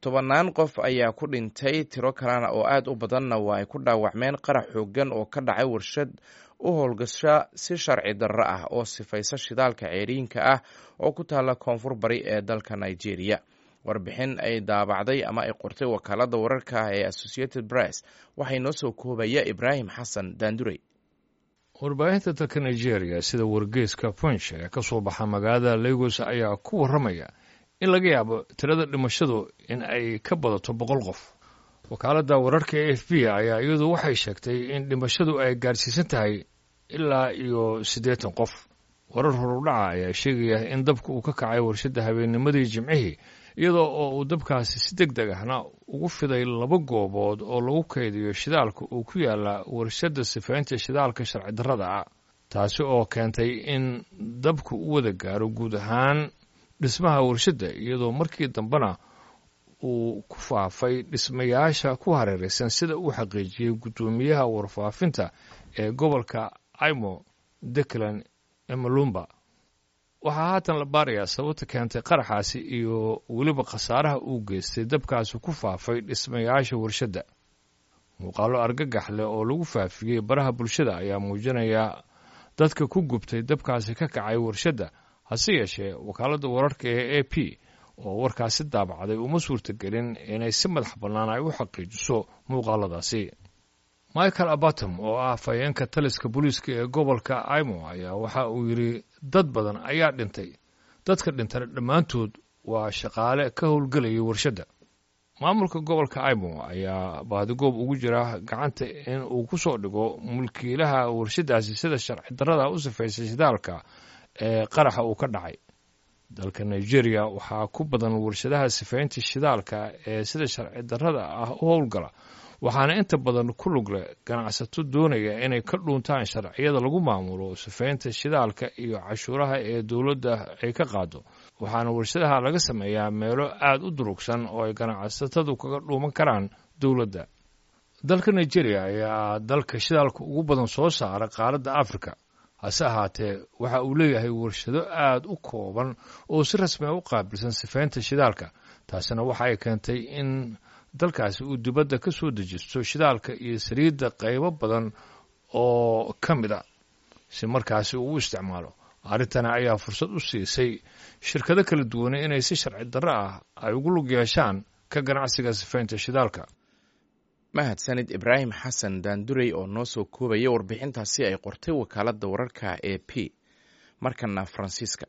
Tobannaan qof ayaa ku dhintay, tiro kalena oo aad u badanna waa ay ku dhaawacmeen qarax xooggan oo ka dhacay warshad u howlgasha si sharci darro ah oo sifaysa shidaalka ceeriinka ah oo ku taalla koonfur bari ee dalka Nigeria. Warbixin ay daabacday ama ay qortay wakaaladda wararka ah ee Associated Press waxay noo soo koobaya Ibraahim Xasan Daandurey. Warbaahinta dalka Nigeria sida wargeyska Punch ee ka soo baxa magaalada Lagos ayaa ku warramaya in laga yaabo tirada dhimashadu in ay ka badato 100 qof. Wakaaladda wararka e F B ayaa iyadu waxay sheegtay in dhimashadu ay gaarsiisan tahay ilaa iyo 80 qof. Warar horudhaca ayaa sheegaya in dabka uu ka kacay warshadda habeennimadii Jimcihii, iyadoo oo uu dabkaasi si deg deg ahna ugu fiday laba goobood oo lagu kaydiyo shidaalka uu ku yaala warshadda sifaynta shidaalka sharci darrada ah, taasi oo keentay in dabku u wada gaaro guud ahaan dhismaha warshadda, iyadoo markii dambena uu ku faafay dhismayaasha ku hareeraysan, sida uu xaqiijiyey guddoomiyaha warfaafinta ee gobolka Imo, Declan Emalumba. Waxaa haatan la baarayaa sababta keentay qaraxaasi iyo weliba khasaaraha uu geystay dabkaasi ku faafay dhismayaasha warshadda. Muuqaallo argagax leh oo lagu faafiyey baraha bulshada ayaa muujinaya dadka ku gubtay dabkaasi ka kacay warshadda. Hase yeeshee, wakaaladda wararka ee A P oo warkaasi daabacday uma suurtagelin inay si madax bannaan ay u xaqiijiso muuqaaladaasi. Michael Abatom oo ah afhayeenka taliska booliiska ee gobolka Imo ayaa waxa uu yidhi dad badan ayaa dhintay, dadka dhintana dhammaantood waa shaqaale ka howlgelayay warshadda. Maamulka gobolka Imo ayaa baadigoob ugu jira gacanta in uu ku soo dhigo mulkiilaha warshaddaasi sida sharci darrada u sifaysay shidaalka ee qaraxa uu ka dhacay. Dalka Nigeria waxaa ku badan warshadaha sifaynta shidaalka ee sida sharci darrada ah u howlgala, waxaana inta badan ku lug leh ganacsato doonaya inay ka dhuuntaan sharciyada lagu maamulo sifaynta shidaalka iyo cashuuraha ee dowladda ay ka qaado. Waxaana warshadaha laga sameeyaa meelo aad u durugsan oo ay ganacsatadu kaga dhuuman karaan dowladda. Dalka Nigeria ayaa dalka shidaalka ugu badan soo saara qaaradda Afrika, hase ahaatee waxa uu leeyahay warshado aad u kooban oo si rasmi a u qaabilsan sifaynta shidaalka. Taasina waxa ay keentay in dalkaasi uu dibadda ka soo dejisto shidaalka iyo saliidda qaybo badan oo ka mid a si markaasi uu u isticmaalo. Arrintana ayaa fursad u siisay shirkado kala duwane inay si sharci darro ah ay ugu lug yeeshaan ka ganacsiga sifaynta shidaalka. Mahadsanid Ibraahim Xasan Daandurey oo noo soo koobaya warbixintaasi ay qortay wakaaladda wararka e P. Markana Faransiiska.